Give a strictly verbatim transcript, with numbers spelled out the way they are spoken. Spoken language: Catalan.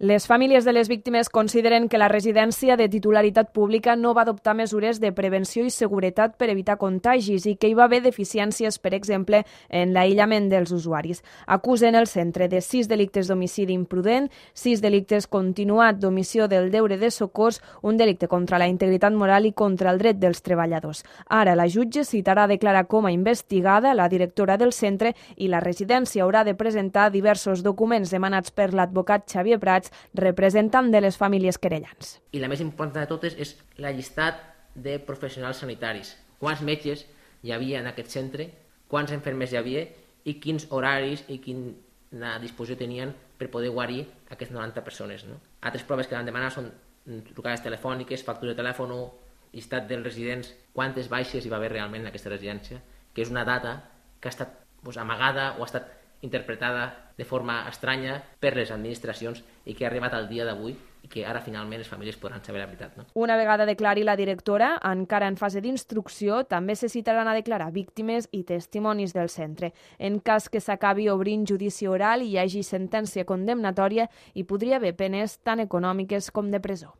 Les famílies de les víctimes consideren que la residència de titularitat pública no va adoptar mesures de prevenció i seguretat per evitar contagis i que hi va haver deficiències, per exemple, en l'aïllament dels usuaris. Acusen el centre de sis delictes d'homicidi imprudent, sis delictes continuat d'omissió del deure de socors, un delicte contra la integritat moral i contra el dret dels treballadors. Ara la jutge citarà a declarar com a investigada la directora del centre i la residència haurà de presentar diversos documents demanats per l'advocat Xavier Prats, representant de les famílies querellants. I la més important de totes és la llistat de professionals sanitaris. Quants metges hi havia en aquest centre, quants infermers hi havia i quins horaris i quina disposició tenien per poder guarir aquestes noranta persones. No? Altres proves que van demanar són trucades telefòniques, factura de telèfon, llistat dels residents, quantes baixes hi va haver realment en aquesta residència, que és una data que ha estat doncs, amagada o ha estat interpretada de forma estranya per les administracions i que ha arribat al dia d'avui i que ara finalment les famílies podran saber la veritat. No? Una vegada declari la directora, encara en fase d'instrucció, també se citaran a declarar víctimes i testimonis del centre. En cas que s'acabi obrint judici oral i hi hagi sentència condemnatòria, hi podria haver penes tant econòmiques com de presó.